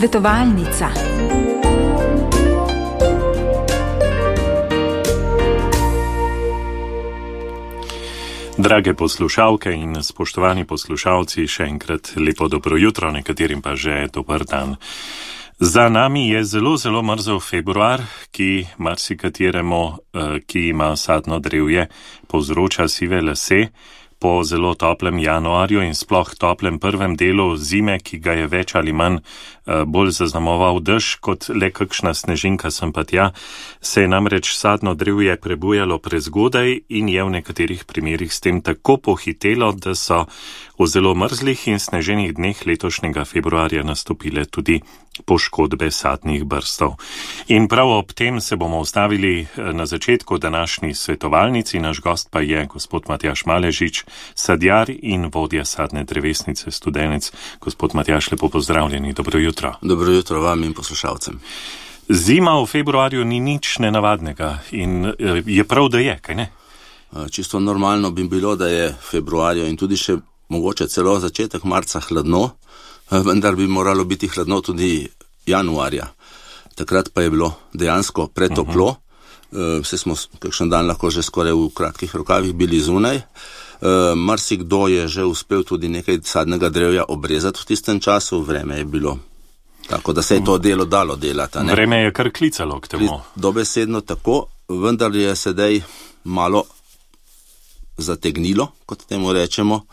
Svetovalnica. Drage poslušalke in spoštovani poslušalci, še enkrat lepo dobro jutro, nekaterim pa že dober dan. Za nami je zelo mrzel februar, ki marsikateremu, ki ima sadno drevje, povzroča sive lase. Po zelo toplem januarju in sploh toplem prvem delu zime, ki ga je več ali manj bolj zaznamoval dež kot le kakšna snežinka sem pa tja, se je namreč sadno drevje prebujalo prezgodaj in je v nekaterih primerih s tem tako pohitelo, da so v zelo mrzlih in sneženih dneh letošnjega februarja nastopile tudi poškodbe sadnih brstov. In prav ob tem se bomo ustavili na začetku današnji svetovalnici. Naš gost pa je gospod Matjaž Maležič, sadjar in vodja sadne drevesnice Studenec. Gospod Matjaž, lepo pozdravljeni, dobro jutro. Dobro jutro vam in poslušalcem. Zima v februarju ni nič nenavadnega in je prav, da je, kaj ne? Čisto normalno bi bilo, da je februarju in tudi še mogoče celo začetek marca hladno, vendar bi moralo biti hladno tudi januarja. Takrat pa je bilo dejansko pretoplo, vse smo kakšen dan lahko že skoraj v kratkih rokavih bili zunaj. Marsikdo je že uspel tudi nekaj sadnega drevja obrezati v tistem času, vreme je bilo tako, da se je to delo dalo delati. Ne? Vreme je kar klicalo k temu. Dobesedno tako, vendar je sedaj malo zategnilo, kot temu rečemo,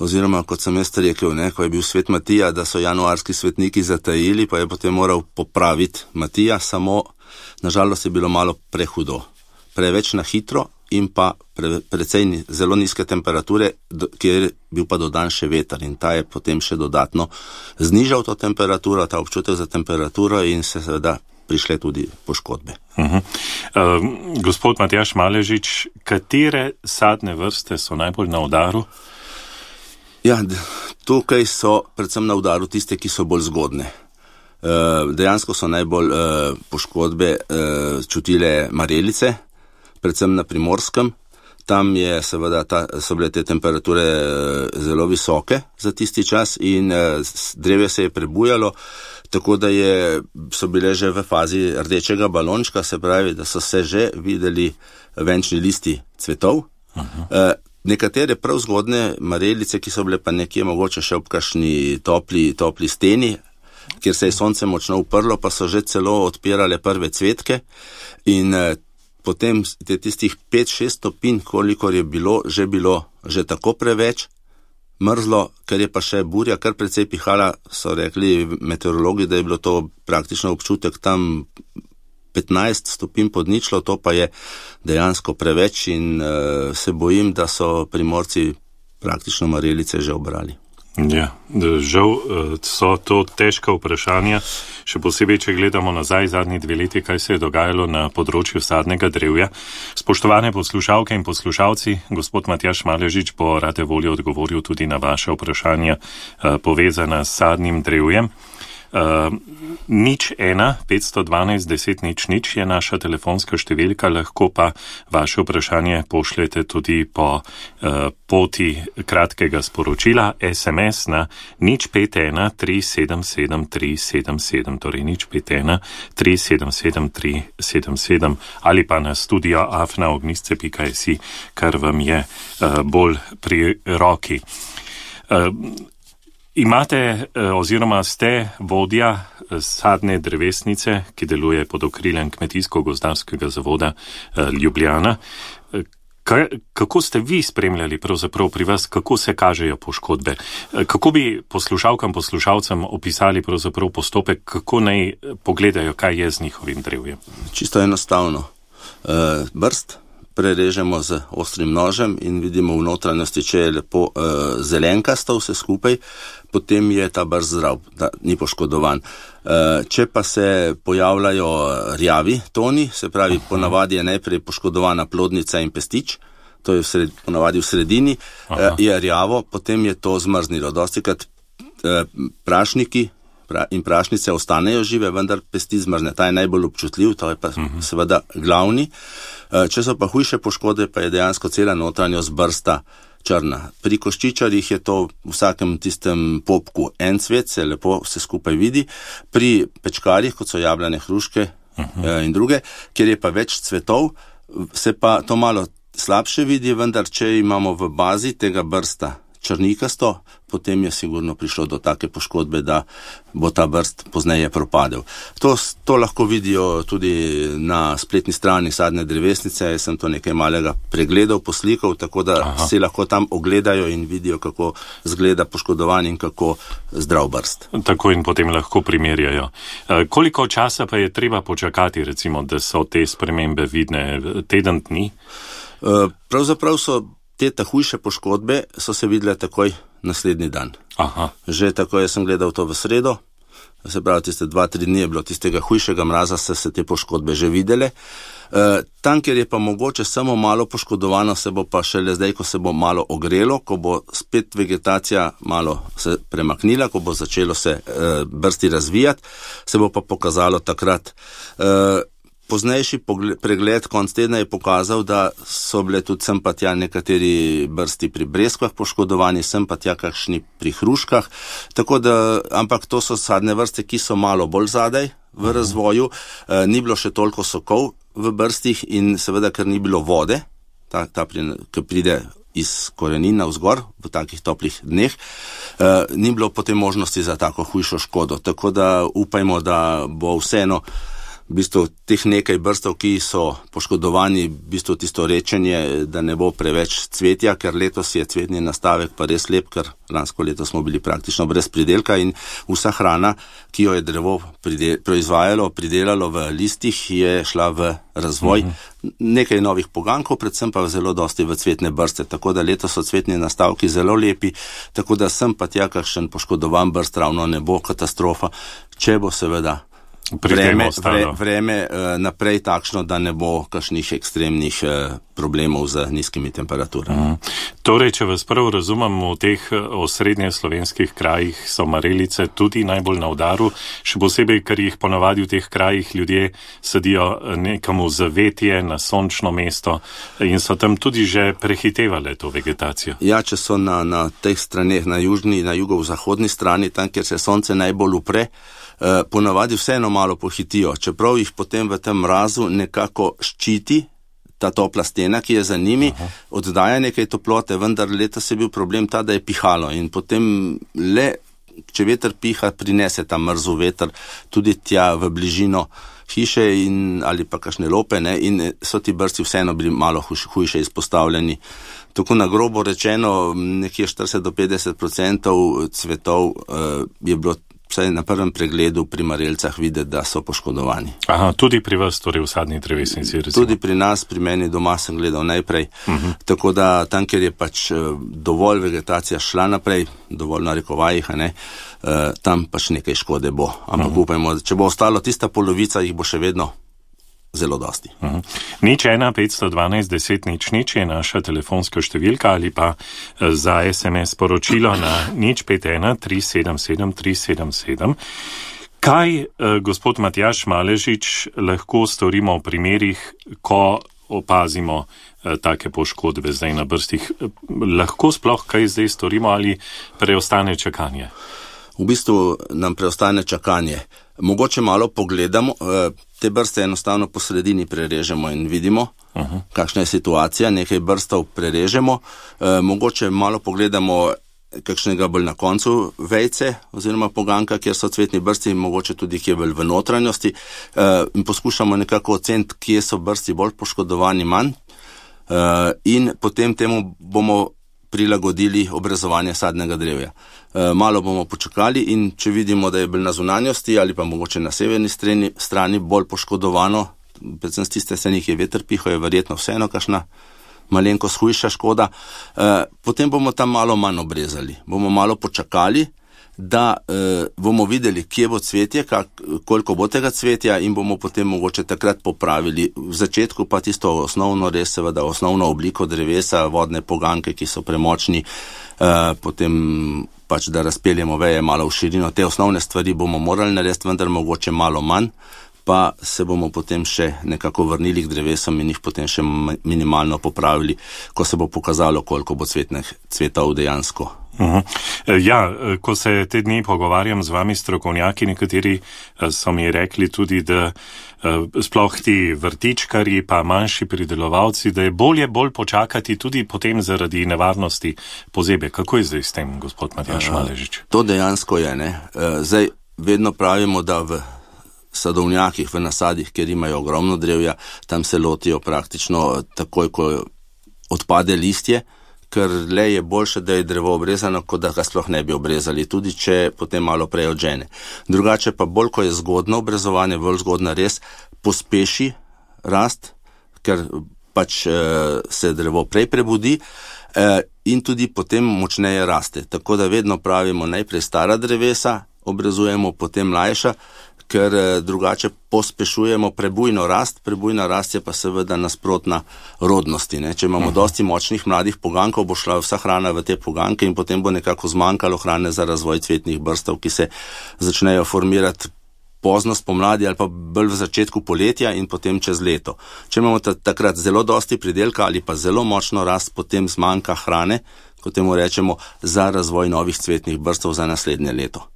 oziroma kot sem jaz rekel, ne, ko je bil svet Matija, da so januarski svetniki zatajili, pa je potem moral popraviti Matija, samo nažalost je bilo malo prehudo. Preveč na hitro in pa precej zelo nizke temperature, kjer je bil pa dodan še veter in ta je potem še dodatno znižal to temperaturo, ta občutek za temperaturo in se seveda prišle tudi poškodbe. Gospod Matjaž Maležič, katere sadne vrste so najbolj na udaru? Ja, tukaj so predvsem na udaru tiste, ki so bolj zgodne. Dejansko so najbolj poškodbe čutile marelice, predvsem na Primorskem. Tam je seveda so bile te temperature zelo visoke za tisti čas in drevje se je prebujalo, tako da so bile že v fazi rdečega balončka, se pravi, da so se že videli venčni listi cvetov. Nekatere prav zgodne marelice, ki so bile pa nekje mogoče še ob kakšni topli steni, kjer se je sonce močno uprlo, pa so že celo odpirale prve cvetke in potem tistih 5-6 stopinj, kolikor je bilo že tako preveč, mrzlo, ker je pa še burja kar precej pihala, so rekli meteorologi, da je bilo to praktično občutek tam 15 stopinj pod ničlo, to pa je dejansko preveč in se bojim, da so Primorci praktično marelice že obrali. Ja, žal so to težka vprašanja, še posebej, če gledamo nazaj zadnji 2 leti, kaj se je dogajalo na področju sadnega drevja. Spoštovane poslušalke in poslušalci, gospod Matjaž Maležič bo rade volje odgovoril tudi na vaše vprašanja povezana s sadnim drevjem. 01 512 10 00 je naša telefonska številka, lahko pa vaše vprašanje pošljete tudi po poti kratkega sporočila SMS na 051 377 377, torej 051 377 377 ali pa na studio@ognisce.si, kar vam je bolj pri roki. Imate oziroma ste vodja sadne drevesnice, ki deluje pod okriljem Kmetijsko-gozdarskega zavoda Ljubljana. Kako ste vi spremljali pravzaprav pri vas, kako se kažejo poškodbe? Kako bi poslušalcem opisali pravzaprav postopek, kako naj pogledajo, kaj je z njihovim drevjem? Čisto enostavno. Brst prerežemo z ostrim nožem in vidimo v notranjosti, če je lepo zelenkasto vse skupaj, potem je ta brst zdrav, da ni poškodovan. Če pa se pojavljajo rjavi toni, se pravi, ponavadi je najprej poškodovana plodnica in pestič, to je ponavadi v sredini, je rjavo, potem je to zmrznilo. Dostikrat prašniki in prašnice ostanejo žive, vendar pesti zmrzne. Ta je najbolj občutljiv, to je pa seveda glavni. Če so pa hujše poškodbe, pa je dejansko cela notranjost brsta črna. Pri koščičarjih je to v vsakem tistem popku en cvet, se lepo vse skupaj vidi. Pri pečkarjih, kot so jablane, hruške in druge, kjer je pa več cvetov, se pa to malo slabše vidi, vendar če imamo v bazi tega brsta črnikasto, potem je sigurno prišlo do take poškodbe, da bo ta brst pozneje propadel. To lahko vidijo tudi na spletni strani sadne drevesnice, jaz sem to nekaj malega pregledal, poslikal, tako da si lahko tam ogledajo in vidijo, kako zgleda poškodovan in kako zdrav brst. Tako in potem lahko primerjajo. Koliko časa pa je treba počakati, recimo, da so te spremembe vidne? Teden dni? Pravzaprav so te hujše poškodbe so se videle takoj naslednji dan. Že tako, jaz sem gledal to v sredo, se pravi, tiste 2-3 dni je bilo tistega hujšega mraza, se te poškodbe že videle. Tam, kjer je pa mogoče samo malo poškodovano, se bo pa šele zdaj, ko se bo malo ogrelo, ko bo spet vegetacija malo se premaknila, ko bo začelo se brsti razvijati, se bo pa pokazalo takrat. Poznejši pregled konc tedna je pokazal, da so bile tudi sem pa tja nekateri brsti pri breskvah poškodovani, sem pa tja kakšni pri hruškah, tako da, ampak to so sadne vrste, ki so malo bolj zadaj v razvoju, ni bilo še toliko sokov v brstih in seveda, ker ni bilo vode, ki pride iz korenina vzgor v takih toplih dneh, ni bilo potem možnosti za tako hujšo škodo, tako da upajmo, da bo vseeno v bistvu teh nekaj brstov, ki so poškodovani, v bistvu tisto rečenje, da ne bo preveč cvetja, ker letos je cvetni nastavek pa res lep, ker lansko leto smo bili praktično brez pridelka in vsa hrana, ki jo je drevo proizvajalo, pridelalo v listih, je šla v razvoj nekaj novih pogankov, predvsem pa zelo dosti v cvetne brste, tako da letos so cvetni nastavki zelo lepi, tako da sem pa tja kakšen poškodovan brst ravno ne bo katastrofa, če bo seveda vreme naprej takšno, da ne bo kakšnih ekstremnih problemov z nizkimi temperaturami. Torej, če vas prav razumem, v teh osrednje slovenskih krajih so marelice tudi najbolj na udaru, še posebej, ker jih ponavadi v teh krajih ljudje sadijo nekam v zavetje, na sončno mesto in so tam tudi že prehitevale to vegetacijo. Ja, če so na teh straneh, na jugozahodni strani, tam, kjer se sonce najbolj upre, ponavadi vseeno malo pohitijo, čeprav jih potem v tem mrazu nekako ščiti ta topla stena, ki je za njimi, oddaja nekaj toplote, vendar letos je bil problem ta, da je pihalo in potem le, če veter piha, prinese ta mrzu veter tudi tja v bližino hiše ali pa kakšne lope, in so ti brsti vseeno bili malo hujše izpostavljeni. Tako na grobo rečeno, nekje 40-50% cvetov je bilo vsaj na prvem pregledu pri marelcah videti, da so poškodovani. Tudi pri vas, torej v sadni drevesnici, recimo? Tudi pri nas, pri meni doma sem gledal najprej, tako da tam, kjer je pač dovolj vegetacija šla naprej, dovolj narekovajih, tam pač nekaj škode bo. Ampak upajmo, če bo ostalo tista polovica, jih bo še vedno zelo dosti. 015121000 je naša telefonska številka ali pa za SMS poročilo na 051377377. Kaj, gospod Matjaž Maležič, lahko storimo v primerih, ko opazimo take poškodbe zdaj na brstih? Lahko sploh kaj zdaj storimo ali preostane čakanje? V bistvu nam preostane čakanje. Mogoče malo pogledamo, te brste enostavno po sredini prerežemo in vidimo, kakšna je situacija, nekaj brstov prerežemo, mogoče malo pogledamo kakšnega bolj na koncu vejce oziroma poganka, kjer so cvetni brsti, mogoče tudi kje bolj v notranjosti, in poskušamo nekako oceniti, kje so brsti bolj poškodovani manj, in potem temu bomo prilagodili obrezovanje sadnega drevja. Malo bomo počakali in če vidimo, da je bolj na zunanjosti ali pa mogoče na severni strani bolj poškodovano, predvsem z tiste strani, ki je veter piho, je verjetno vseeno kakšna malenkost hujša škoda, potem bomo tam malo manj obrezali. Bomo malo počakali, da bomo videli, kje bo cvetje, koliko bo tega cvetja in bomo potem mogoče takrat popravili. V začetku pa tisto osnovno, res seveda osnovno obliko drevesa, vodne poganke, ki so premočni, potem pač da razpeljemo veje malo v širino. Te osnovne stvari bomo morali narediti, vendar mogoče malo manj, pa se bomo potem še nekako vrnili k drevesom in jih potem še minimalno popravili, ko se bo pokazalo, koliko bo cvetov dejansko. Ja, ko se te dni pogovarjam z vami strokovnjaki, nekateri so mi rekli tudi, da sploh ti vrtičkarji pa manjši pridelovalci, da je bolj počakati tudi potem zaradi nevarnosti pozebe. Kako je zdaj s tem, gospod Matjaž Maležič? To dejansko je, ne. Zdaj vedno pravimo, da v sadovnjakih, v nasadih, kjer imajo ogromno drevja, tam se lotijo praktično takoj, ko odpade listje, ker le je boljše, da je drevo obrezano, kot da ga sploh ne bi obrezali, tudi če potem malo prej odžene. Drugače pa bolj, ko je zgodno obrezovanje, bolj zgodna res pospeši rast, ker pač se drevo prej prebudi in tudi potem močneje raste. Tako da vedno pravimo najprej stara drevesa, obrezujemo potem mlajša, ker drugače pospešujemo prebujno rast. Prebujna rast je pa seveda nasprotna rodnosti, ne? Če imamo dosti močnih mladih pogankov, bo šla vsa hrana v te poganke in potem bo nekako zmanjkalo hrane za razvoj cvetnih brstov, ki se začnejo formirati pozno spomladi ali pa bolj v začetku poletja in potem čez leto. Če imamo takrat zelo dosti pridelka ali pa zelo močno rast, potem zmanjka hrane, kot temu rečemo, za razvoj novih cvetnih brstov za naslednje leto.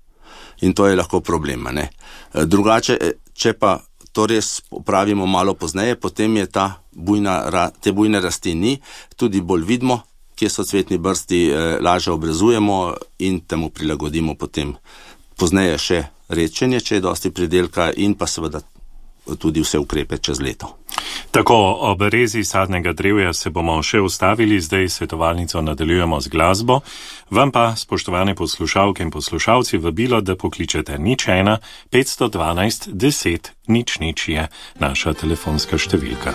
In to je lahko problem, ne? Drugače, če pa to res opravimo malo pozneje, potem je te bujne rasti ni, tudi bolj vidimo, kje so cvetni brsti, lažje obrezujemo in temu prilagodimo potem pozneje še redčenje, če je dosti pridelka in pa seveda tudi vse ukrepe čez leto. Tako, ob rezi sadnega drevja se bomo še ustavili, zdaj svetovalnico nadaljujemo z glasbo. Vam pa, spoštovane poslušalke in poslušalci, vabilo, da pokličete 01 512 10 00 je naša telefonska številka.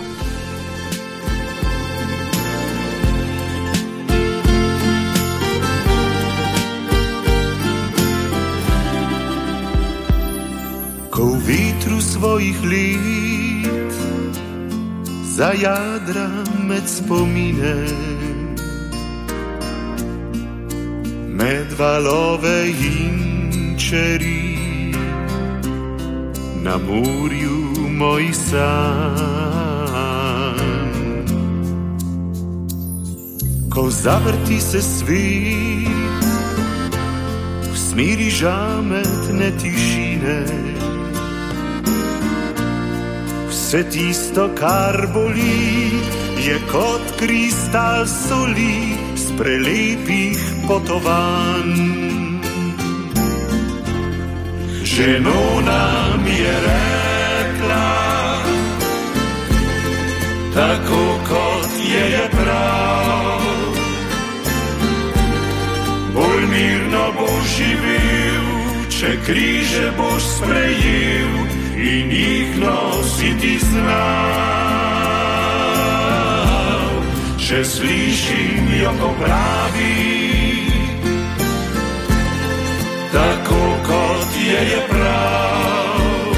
Ko v vetru svojih let zajadra med spomine, med valove in čeri, na morju moj san. Ko zavrti se svet v smeri žametne tišine, vse tisto, kar boli, je kot kristal soli z prelepih potovanj. Ženona mi je rekla, tako kot je prav, bolj mirno boš živel, če križe boš sprejel in jih nositi znal. Še slišim jo, ko pravi, tako kot je prav.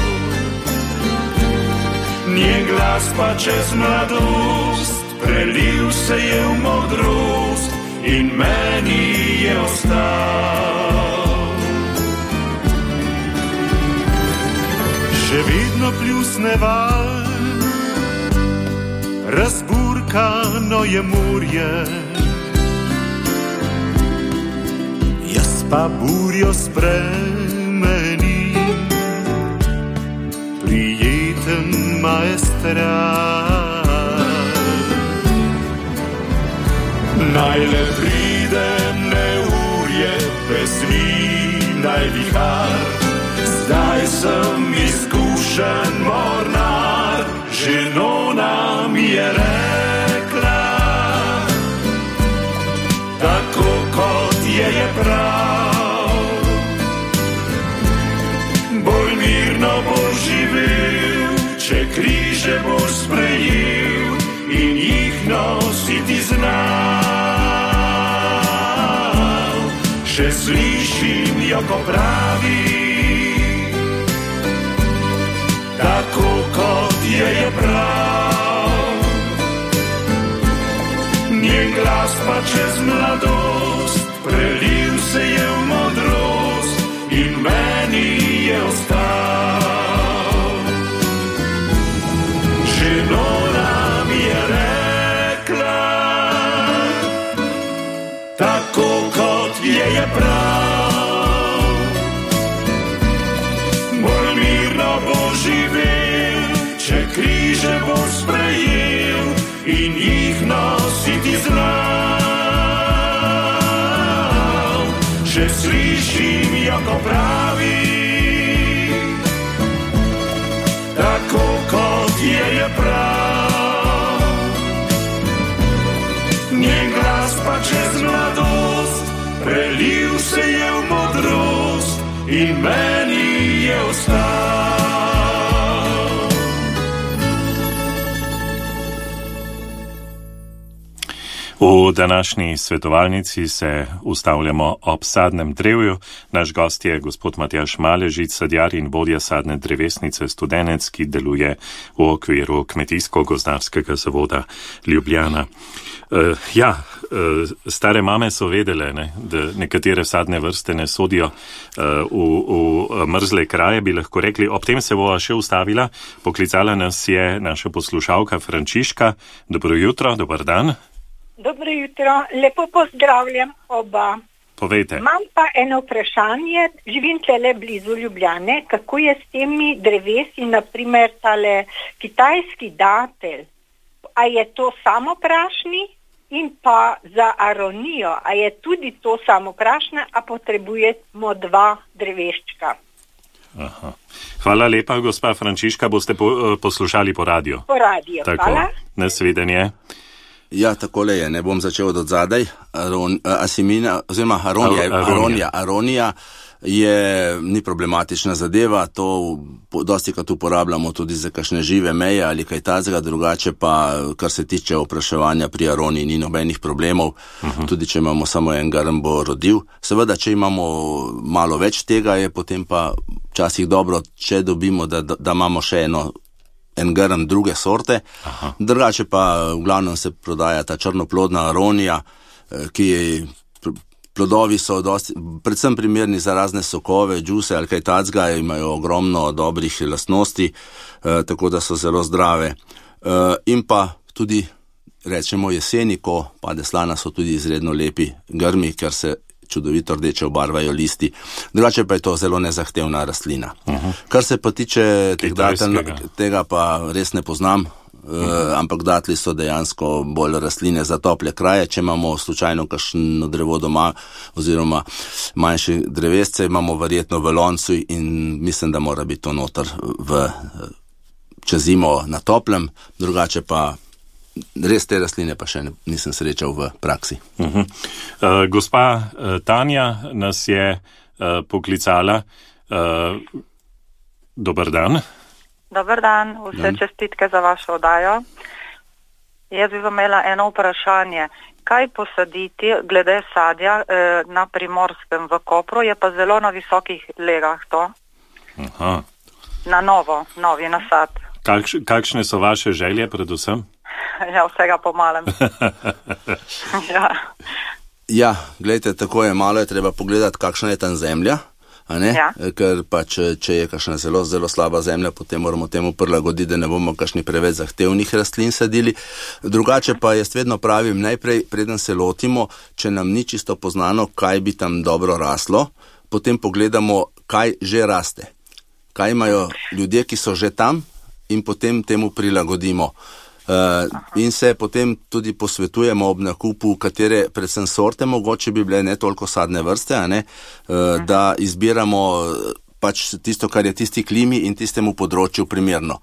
Njen glas pa čez mladost prelil se je v modrost in meni je ostal. Še vedno pljusne val, razburkano je morje, jaz pa burjo spremenim, prijeten maestral. Naj le pride neurje, pesmi naj vihar, zdaj sem izkušen mornar, ženona mi je rekla, tako kot je prav. Bolj mirno boš živel, če križe boš sprejel in jih nositi znal. Še slišim jo, ko pravi, tako kot je prav. Njen glas pa čez mladost prelil se je v modrost in meni je ostal. križe boš sprejel in jih nositi znal. Še slišim jo, ko pravi, tako kot je prav. Njen glas pa čez mladost prelil se je v modrost in meni je ostal. V današnji svetovalnici se ustavljamo ob sadnem drevju. Naš gost je gospod Matjaž Maležič, sadjar in vodja sadne drevesnice Studenec, ki deluje v okviru Kmetijsko-gozdarskega zavoda Ljubljana. Stare mame so vedele, da nekatere sadne vrste ne sodijo v mrzle kraje, bi lahko rekli. Ob tem se bova še ustavila. Poklicala nas je naša poslušalka Frančiška. Dobro jutro, dober dan. Dobro jutro, lepo pozdravljam oba. Povejte. Imam pa eno vprašanje, živim tele blizu Ljubljane, kako je s temi drevesi, naprimer tale kitajski datelj, a je to samoprašni in pa za aronijo, a je tudi to samoprašna, a potrebujemo 2 dreveščka. Aha. Hvala lepa, gospa Frančiška, boste poslušali po radiju. Po radiju, tako, hvala. Nasvidenje. Ja, takole je, ne bom začel od odzadaj. Aronija ni problematična zadeva, to dostikrat uporabljamo tudi za kakšne žive meje ali kaj tazga, drugače pa, kar se tiče vpraševanja pri aroniji, ni nobenih problemov, tudi če imamo samo en grm, bo rodil. Seveda, če imamo malo več tega, je potem pa včasih dobro, če dobimo, da imamo še en grm druge sorte. Aha. Drugače pa v glavnem se prodaja ta črnoplodna aronija, ki je, plodovi so predvsem primerni za razne sokove, džuse ali kaj tacga, imajo ogromno dobrih lastnosti, tako da so zelo zdrave. In pa tudi, rečemo jeseni, ko pade slana, so tudi izredno lepi grmi, ker se čudovito rdeče obarvajo listi. Drugače pa je to zelo nezahtevna rastlina. Kar se pa tiče tega pa res ne poznam, ampak datli so dejansko bolj rastline za tople kraje. Če imamo slučajno kakšno drevo doma oziroma manjše drevesce, imamo verjetno v loncu in mislim, da mora biti to noter čez zimo na toplem, drugače pa res te rastline pa še nisem srečal v praksi. Gospa Tanja nas je poklicala. Dober dan. Dober dan, vse čestitke za vašo oddajo. Jaz bi imela eno vprašanje. Kaj posaditi glede sadja na Primorskem v Kopru, je pa zelo na visokih legah to? Aha. Na novi nasad. Kakšne so vaše želje predvsem? Ja, vsega po malem. Ja, gledajte, tako je, malo je treba pogledati, kakšna je tam zemlja, a ne? Ja. Ker pa če je kakšna zelo, zelo slaba zemlja, potem moramo temu prilagoditi, da ne bomo kakšni preveč zahtevnih rastlin sadili. Drugače pa jaz vedno pravim, najprej, preden se lotimo, če nam ni čisto poznano, kaj bi tam dobro raslo, potem pogledamo, kaj že raste. Kaj imajo ljudje, ki so že tam, in potem temu prilagodimo. In se potem tudi posvetujemo ob nakupu, katere predvsem sorte mogoče bi bile, ne toliko sadne vrste, a ne, da izbiramo pač tisto, kar je tisti klimi in tistemu področju primerno.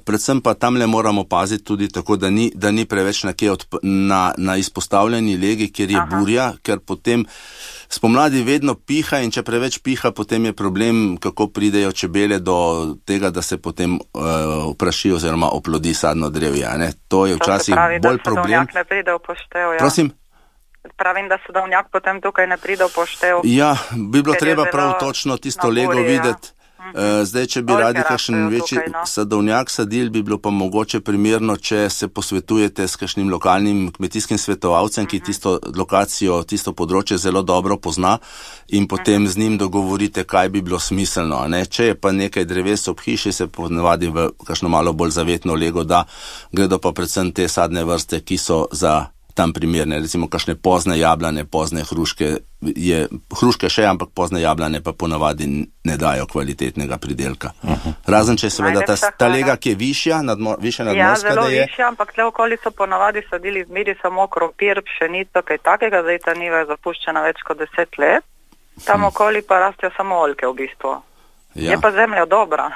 Predvsem pa tamle moramo paziti tudi tako, da ni preveč na izpostavljeni legi, kjer je burja, ker potem spomladi vedno piha in če preveč piha, potem je problem, kako pridejo čebele do tega, da se potem opraši oziroma oplodi sadno drevje. Ne? To je včasih bolj problem. To se pravi, da sadovnjak ne pride v poštev. Ja. Prosim? Pravim, da sadovnjak potem tukaj ne pride v poštev. Ja, bi bilo treba prav točno tisto lego videti. Zdaj, če bi radi kakšen večji sadovnjak sadil, bi bilo pa mogoče primerno, če se posvetujete s kakšnim lokalnim kmetijskim svetovalcem, ki tisto lokacijo, tisto področje zelo dobro pozna in potem z njim dogovorite, kaj bi bilo smiselno. Ne? Če je pa nekaj dreves ob hiši, se ponavadi v kakšno malo bolj zavetno lego da, gredo pa predvsem te sadne vrste, ki so za tam primerne, recimo kakšne pozne jablane, pozne hruške, hruške še, ampak pozne jablane pa ponavadi ne dajo kvalitetnega pridelka. Razen če seveda ta lega, ki je višja, više nadmorska, zelo višja, ampak tle okoli so ponavadi sadili zmeri samo krompir, pšenico, kaj takega, zdaj ta njiva je zapuščena več kot 10 let, tam okoli pa rastejo samo oljke v bistvu. Je pa zemlja dobra.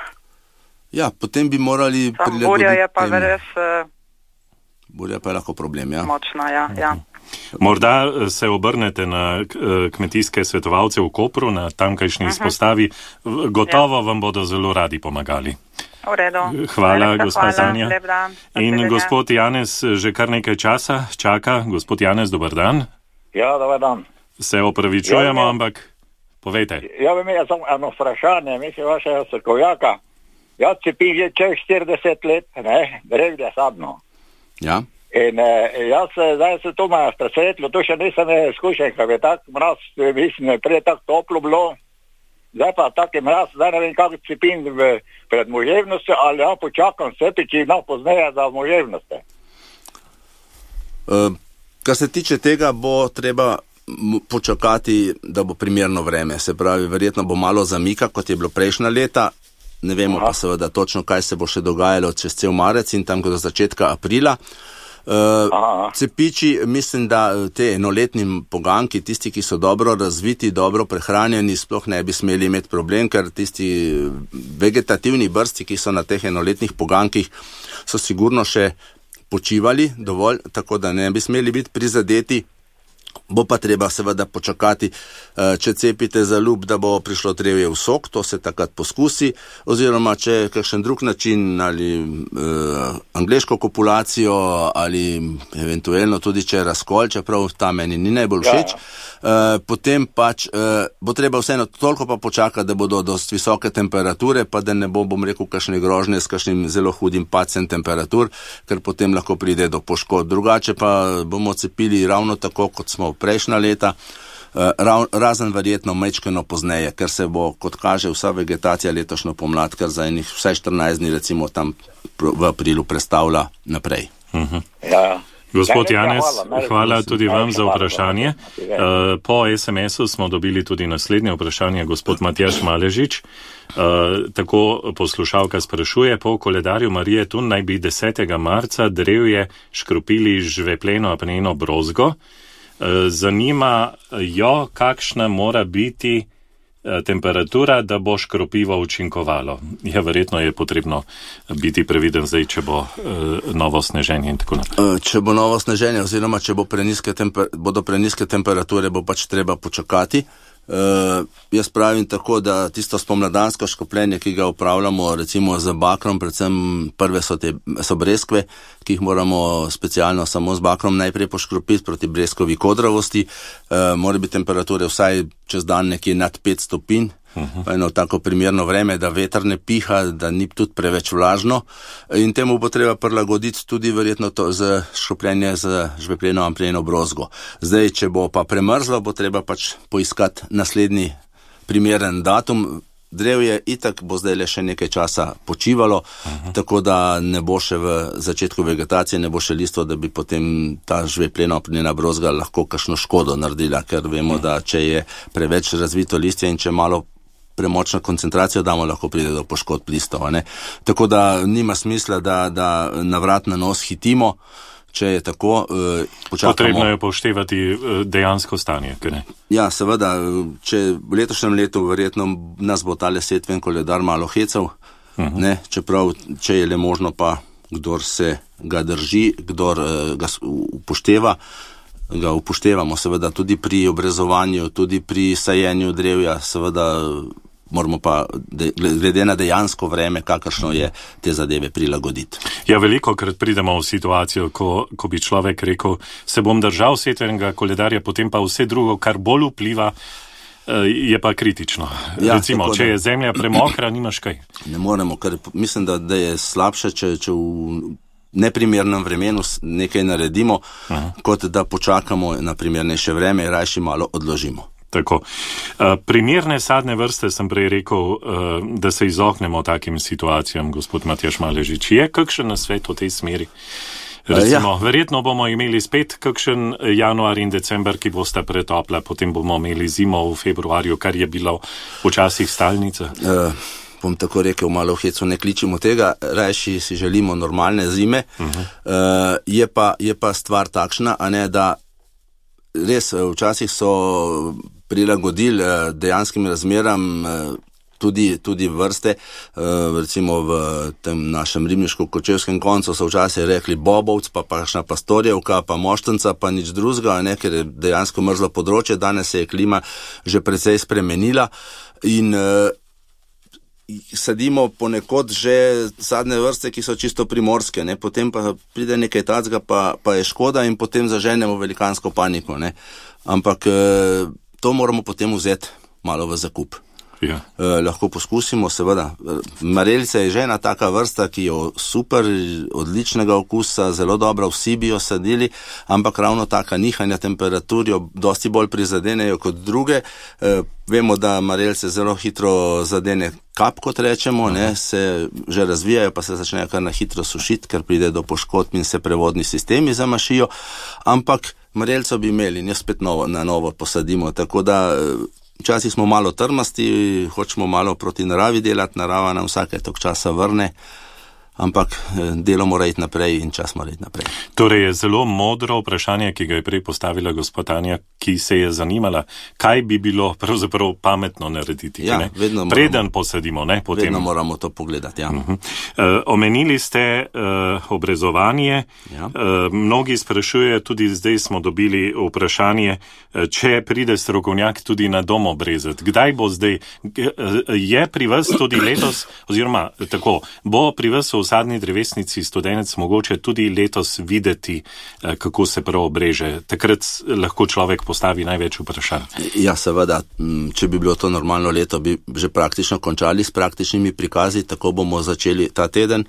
Ja, potem bi morali prilagoditi. Burja je pa res... Burja pa je lahko problem, ja. Močna, ja. Morda se obrnete na kmetijske svetovalce v Kopru, na tamkajšnji izpostavi. Gotovo vam bodo zelo radi pomagali. V redu. Hvala, gospa Tanja. In gospod Janez že kar nekaj časa čaka. Gospod Janez, dober dan. Ja, dober dan. Se opravičujemo, ampak povejte. Ja, bi imel samo eno vprašanje, mislim vašega strokovnjaka. Jaz cepim že čez 40 let, drevje sadno. Ja. In zdaj se to ima presvetlo, to še nisem izkušen, kaj je tak mraz, mislim, prej tako toplo bilo. Zdaj pa tak je mraz, zdaj ne vem, kako cepim pred moževnostjo, ali ja počakam cepiči, pozneje za moževnosti. Kar se tiče tega, bo treba počakati, da bo primerno vreme. Se pravi, verjetno bo malo zamika, kot je bilo prejšnja leta. Ne vemo pa seveda točno, kaj se bo še dogajalo čez cel marec in tam do začetka aprila. Cepiči, mislim, da te enoletni poganki, tisti, ki so dobro razviti, dobro prehranjeni, sploh ne bi smeli imeti problem, ker tisti vegetativni brsti, ki so na teh enoletnih pogankih, so sigurno še počivali dovolj, tako da ne bi smeli biti prizadeti. Bo pa treba seveda počakati, če cepite za ljub, da bo prišlo drevje v sok, to se takrat poskusi, oziroma če kakšen drug način ali angleško kopulacijo ali eventualno tudi če razkol, čeprav ta meni ni najbolj všeč, potem pač bo treba vseeno toliko pa počakati, da bodo dosti visoke temperature, pa da ne bo, bom rekel, kakšne grožnje s kakšnim zelo hudim padcem temperatur, ker potem lahko pride do poškodb. Drugače pa bomo cepili ravno tako, kot smo prejšnja leta, razen verjetno majčkeno pozneje, ker se bo, kot kaže, vsa vegetacija letošnjo pomlad, ker za enih vsaj 14 dni recimo tam v aprilu prestavlja naprej. Ja. Gospod Janez, hvala tudi vam za vprašanje. Po SMS-u smo dobili tudi naslednje vprašanje, gospod Matjaž Maležič. Tako poslušalka sprašuje, po koledarju Marije Tun naj bi 10. marca drevje škropili žvepleno apneno brozgo. Zanima jo, kakšna mora biti temperatura, da bo škropivo učinkovalo. Ja, verjetno je potrebno biti previden zdaj, če bo novo sneženje in tako naprej. Če bo novo sneženje oziroma če bodo preniske temperature, bo pač treba počakati. Jaz pravim tako, da tisto spomladansko škropljenje, ki ga upravljamo recimo z bakrom, predvsem prve so breskve, ki jih moramo specialno samo z bakrom najprej poškropiti proti breskovi kodravosti. Mora biti temperature vsaj čez dan nekje nad 5 stopinj. Eno tako primerno vreme, da veter ne piha, da ni tudi preveč vlažno in temu bo treba prilagoditi tudi verjetno to z škropljenje z žvepleno apneno brozgo. Zdaj, če bo pa premrzlo, bo treba pač poiskati naslednji primeren datum. Drevje itak bo zdaj le še nekaj časa počivalo, tako da ne bo še v začetku vegetacije, ne bo še listvo, da bi potem ta žvepleno apnena brozga lahko kakšno škodo naredila, ker vemo, da če je preveč razvito listje in če malo premočno koncentracijo damo, lahko pride do poškodb listov. Tako da nima smisla, da na vrat na nos hitimo, če je tako, počakamo. Potrebno je upoštevati dejansko stanje, kaj ne? Ja, seveda, če v letošnjem letu verjetno nas bo tale setven koledar malo hecal, čeprav, če je le možno pa, kdor se ga drži, kdor ga upošteva, ga upoštevamo seveda tudi pri obrezovanju, tudi pri sajenju drevja, seveda moramo pa glede na dejansko vreme, kakršno je, te zadeve prilagoditi. Ja, veliko krat pridemo v situacijo, ko bi človek rekel, se bom držal setvenega koledarja, potem pa vse drugo, kar bolj vpliva, je pa kritično. Ja, recimo, če je zemlja premokra, nimaš kaj. Ne moremo, ker mislim, da je slabše, če v neprimernem vremenu nekaj naredimo, kot da počakamo na primernejše vreme in rajši malo odložimo. Tako. Primerne sadne vrste sem prej rekel, da se izognemo takim situacijam, gospod Matjaž Maležič. Je kakšen nasvet v tej smeri? Recimo, verjetno bomo imeli spet kakšen januar in december, ki bosta pretopla, potem bomo imeli zimo v februarju, kar je bilo včasih stalnica. Bom tako rekel, malo v hecu ne kličimo tega, rajši si želimo normalne zime. Je pa stvar takšna, a ne, da res včasih so prilagodili dejanskim razmeram tudi vrste, recimo v tem našem ribniško-kočevskem koncu so včasih rekli bobovc, pa kakšna pastorjevka, pa moštenca, pa nič drugega, ne, ker je dejansko mrzlo področje, danes se je klima že precej spremenila in sadimo ponekod že sadne vrste, ki so čisto primorske, ne, potem pa pride nekaj tacga, pa je škoda in potem zaženemo velikansko paniko, ne. Ampak to moramo potem vzeti malo v zakup. Ja. Lahko poskusimo, seveda. Marelica je že ena taka vrsta, ki je super, odličnega okusa, zelo dobra, vsi bi jo sadili, ampak ravno taka nihanja temperatur jo dosti bolj prizadenejo kot druge. Vemo, da marelice zelo hitro zadene kap, kot rečemo, ne, se že razvijajo, pa se začnejo kar na hitro sušiti, ker pride do poškodb in se prevodni sistemi zamašijo, ampak marelico bi imeli, njo spet na novo posadimo, tako da včasih smo malo trmasti, hočemo malo proti naravi delati, narava nam vsake tok časa vrne, ampak delo mora iti naprej in čas mora iti naprej. Torej je zelo modro vprašanje, ki ga je prej postavila gospod Anja, ki se je zanimala, kaj bi bilo pravzaprav pametno narediti. Ja, preden posadimo, ne? Potem... Vedno moramo to pogledati, ja. Omenili ste obrezovanje. Ja. Mnogi sprašujejo, tudi zdaj smo dobili vprašanje, če pride strokovnjak tudi na dom obrezati. Kdaj bo zdaj? Je pri vas tudi letos, oziroma tako, bo pri vas v sadni drevesnici Studenec mogoče tudi letos videti, kako se prav obreže. Takrat lahko človek postavi največ vprašanj. Ja, seveda, če bi bilo to normalno leto, bi že praktično končali s praktičnimi prikazi, tako bomo začeli ta teden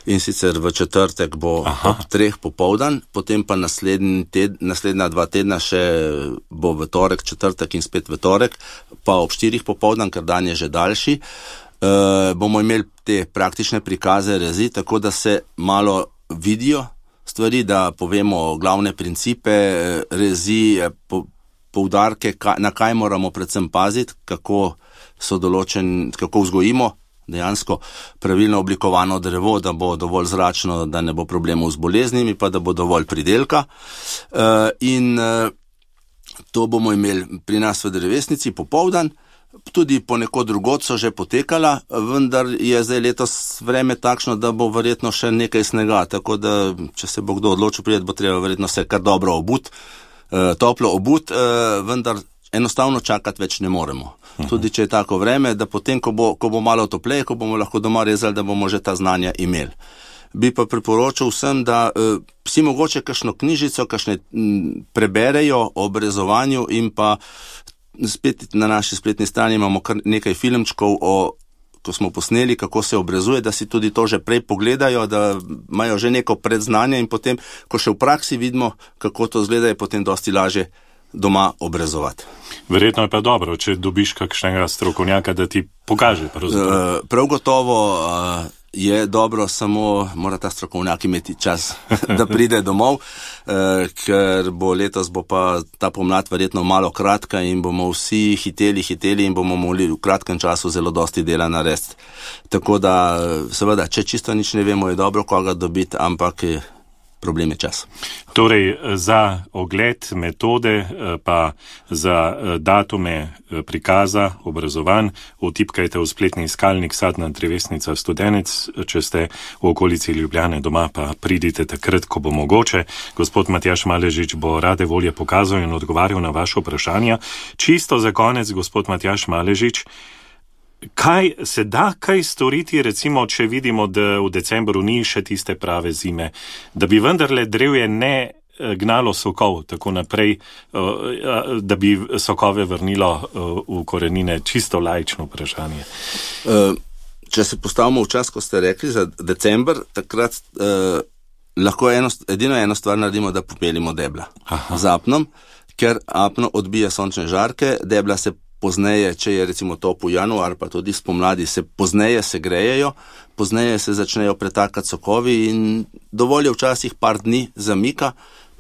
in sicer v četrtek bo ob 3 popoldan, potem pa naslednja 2 tedna še bo v torek, četrtek in spet v torek, pa ob 4 popoldan, ker dan je že daljši. Bomo imeli te praktične prikaze rezi, tako da se malo vidijo stvari, da povemo glavne principe rezi, poudarke, na kaj moramo predvsem paziti, kako vzgojimo dejansko pravilno oblikovano drevo, da bo dovolj zračno, da ne bo problemov z boleznimi, pa da bo dovolj pridelka. In to bomo imeli pri nas v drevesnici popoldan. Tudi ponekod drugod so že potekala, vendar je zdaj letos vreme takšno, da bo verjetno še nekaj snega, tako da, če se bo kdo odločil priti, bo treba verjetno se kar dobro obuti, toplo obuti, vendar enostavno čakati več ne moremo. Tudi če je tako vreme, da potem, ko bo malo topleje, ko bomo lahko doma rezali, da bomo že ta znanja imeli. Bi pa priporočal vsem, da si mogoče kakšno knjižico, kakšne preberejo o obrezovanju in pa spet na naši spletni strani imamo kar nekaj filmčkov, ko smo posneli, kako se obrezuje, da si tudi to že prej pogledajo, da imajo že neko predznanje in potem, ko še v praksi vidimo, kako to izgleda, je potem dosti lažje doma obrezovati. Verjetno je pa dobro, če dobiš kakšnega strokovnjaka, da ti pokaže. Prav gotovo je dobro, samo mora ta strokovnjak imeti čas, da pride domov, ker letos bo pa ta pomlad verjetno malo kratka in bomo vsi hiteli in bomo mogli v kratkem času zelo dosti dela narediti. Tako da, seveda, če čisto nič ne vemo, je dobro koga dobiti, ampak problem je čas. Torej, za ogled metode, pa za datume prikaza, obrazovanj, vtipkajte v spletni iskalnik Sadna drevesnica Studenec, če ste v okolici Ljubljane doma, pa pridite takrat, ko bo mogoče. Gospod Matjaž Maležič bo rade volje pokazal in odgovarjal na vaše vprašanja. Čisto za konec, gospod Matjaž Maležič, kaj se da kaj storiti, recimo, če vidimo, da v decembru ni še tiste prave zime, da bi vendarle drevje ne gnalo sokov tako naprej, da bi sokove vrnilo v korenine? Čisto laično vprašanje. Če se postavimo v čas, ko ste rekli za december, takrat lahko edino eno stvar naredimo, da popelimo debla z apnom, ker apno odbija sončne žarke, debla se pozneje, če je recimo topel januar, pa tudi spomladi, se pozneje segrejejo, pozneje se začnejo pretakati sokovi in dovolj je včasih par dni zamika,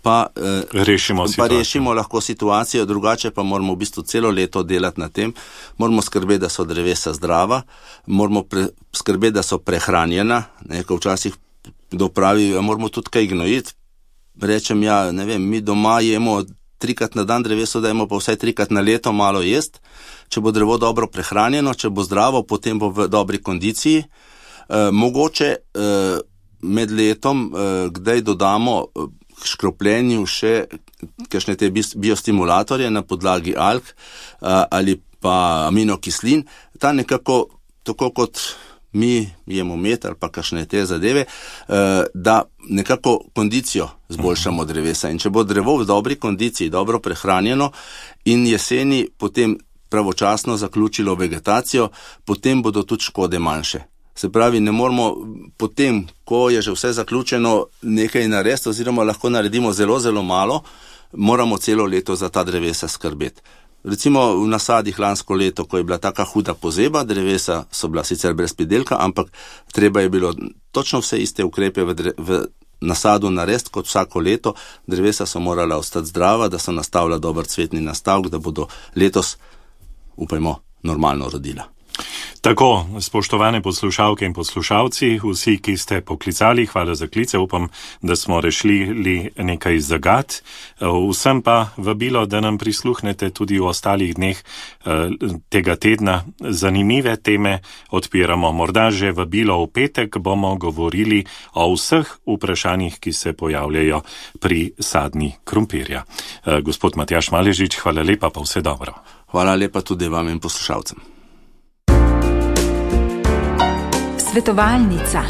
pa rešimo lahko situacijo, drugače pa moramo v bistvu celo leto delati na tem, moramo skrbeti, da so drevesa zdrava, moramo skrbeti, da so prehranjena, ko včasih dopravi, moramo tudi kaj gnojiti. Rečem, mi doma jemo 3-krat na dan dreveso, dajmo pa vsaj 3-krat na leto malo jest. Če bo drevo dobro prehranjeno, če bo zdravo, potem bo v dobri kondiciji. Mogoče med letom kdaj dodamo k škropljenju še kakšne te biostimulatorje na podlagi alg ali pa aminokislin. Ta nekako, tako kot mi jemo med ali pa kakšne te zadeve, da nekako kondicijo zboljšamo drevesa. In če bo drevo v dobri kondiciji, dobro prehranjeno in jeseni potem pravočasno zaključilo vegetacijo, potem bodo tudi škode manjše. Se pravi, ne moramo potem, ko je že vse zaključeno, nekaj narediti, oziroma lahko naredimo zelo, zelo malo, moramo celo leto za ta drevesa skrbeti. Recimo v nasadih lansko leto, ko je bila taka huda pozeba, drevesa so bila sicer brez pridelka, ampak treba je bilo točno vse iste ukrepe v nasadu narediti kot vsako leto. Drevesa so morala ostati zdrava, da so nastavila dober cvetni nastavek, da bodo letos, upajmo, normalno rodila. Tako, spoštovane poslušalke in poslušalci, vsi, ki ste poklicali, hvala za klice, upam, da smo rešili nekaj zagad. Vsem pa vabilo, da nam prisluhnete tudi v ostalih dneh tega tedna. Zanimive teme odpiramo. Morda že vabilo v petek bomo govorili o vseh vprašanjih, ki se pojavljajo pri sadni krompirja. Gospod Matjaž Maležič, hvala lepa, pa vse dobro. Hvala lepa tudi vam in poslušalcem. Svetovalnica.